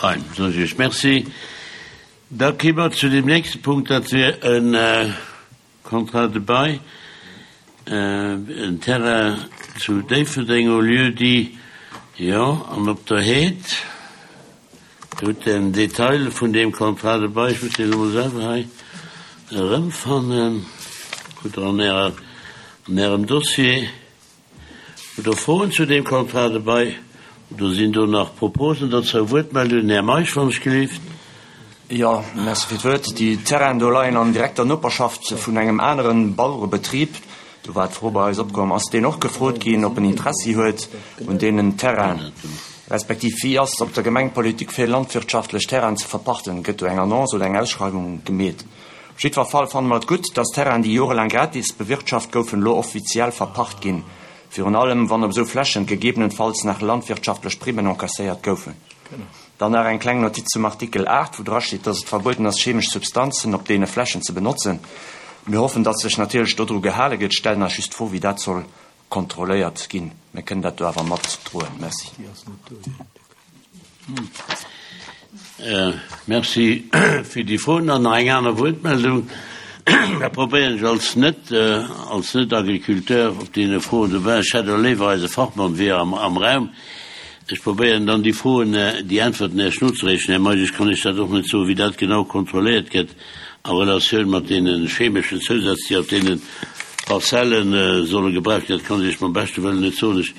Fein, soen ech Iech Merci. Da ki mer zu deem nächste Punkt, dat wier e Contrat de bail, en Terrain zu Déifferdeng au lieu-dit, jo, an op der Heed. Dir hutt den Detail vun deem Contrat de bail, ech muss deen elo mol selwer hei erëmfannen, hutt Der an Ärer, an Ärem Dossier. Hutt Der Froen zu deem Contrat de bail oder sinn do nach Proposen dozou? Wuertmeldungen? Här Meisch, wann ech gelift. Jo, merci fir d'Wuert. Déi Terrainen do leien an direkter Noperschaft vun engem aneren Bauerebetrib. Do war d'Fro bei eis opkomm, ass deen och gefrot ginn, ob en Interessi huet un deenen Terrainen, respektiv wéi ass op der Gemeng d'Politik fir landwirtschaftlech Terrainen ze verpachten? Gëtt do eng Annonce oder eng Ausschreiwung gemeet? Op jiddwer Fall fanne mer et gutt, dass Terrainen, déi jorelaang gratis bewirtschaft goufen, elo offiziell verpacht ginn, virun allem wann op esou Flächen gegebenenfalls nach landwirtschaftlech Primmen encasséiert goufen. Dann nach eng kleng Notiz zum Artikel 8, wou drasteet, dass et verbueden ass, chemesch Substanzen op deene Flächen ze benotzen. Mir hoffen, dass sech natierlech dodru gehale gëtt, stellen eis just d'Fro, wéi dat soll kontrolléiert ginn. Mir kënnen dat do awer matdroen. Merci. Merci fir déi Froen. Dann nach eng aner Wuertmeldung. Da probéieren ech als net, als Net-Agriculteur op deene Froen dobäi. Ech hätt och léiwer eise Fachmann wier am Raum. Ech probéieren dann déi Froen, déi Äntwerten Iech nozereechen. Här Meisch, ech kann Iech dat och net soen, wéi dat genau kontrolléiert gëtt a Relatioun mat deene chemeschen Zousätz, déi op deene Parzelle solle gebraucht ginn. Dat kann ech Iech mam beschte Wëllen net soen. Ech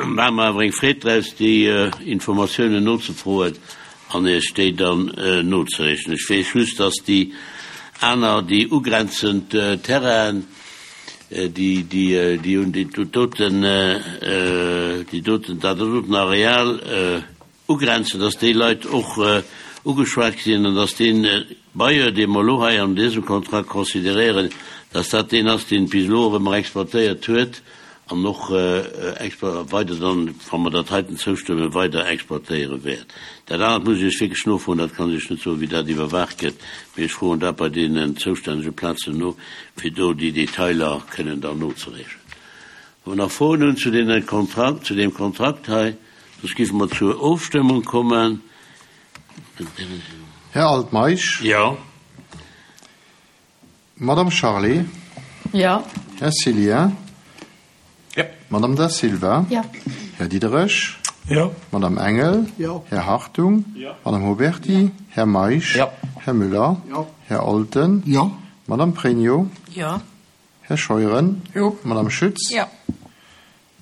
maache mer awer eng Freed draus, déi Informatiounen nozefroen an Iech déi dann nozereechen. Ech weess just, dass déi aner, déi ugrenzend Terrainen, déi, déi, déi un déi doten, déi doten, dat doten Areal ugrenzen, dass déi Leit och ugeschwat sinn an dass dee Bailleur, dee mer elo hei an dësem Kontrakt consideréieren, dass dat deen ass, deen bis elo och ëmmer exploitéiert huet an och weider dann, wa mer dat heiten zoustëmmen, weider exploitéiere wäert. Dat anert muss ech Iech wierklech nofroen, dat kann ech Iech net soen, wéi dat iwwerwaacht gëtt, mee ech froen dat bei deenen zoustännege Plazen no, fir do déi Detailer kënnen dann nozereechen. Wa mer nach Froen hunn zu deene Kontrakt, zu deem Kontrakt hei, soss géife mer zur Ofstëmmung kommen. Här Altmeisch. Jo. Madame Charlé. Jo. Här Cillien. Jo. Madame Da Silva. Jo. Här Diderich. Jo. Madame Engel. Jo. Här Hartung. Jo. Madame Huberty. Här Meisch. Jo. Här Müller. Jo. Här Olten. Jo. Madame Pregno. Jo. Här Scheuren. Jo. Madame Schütz. Jo.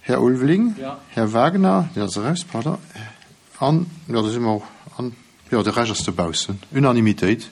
Här Ulveling. Jo. Här Wagner, deen ass eraus, pardon. An, jo, da si mer och, an, jo, de Rescht ass dobaussen. Unanimitéit.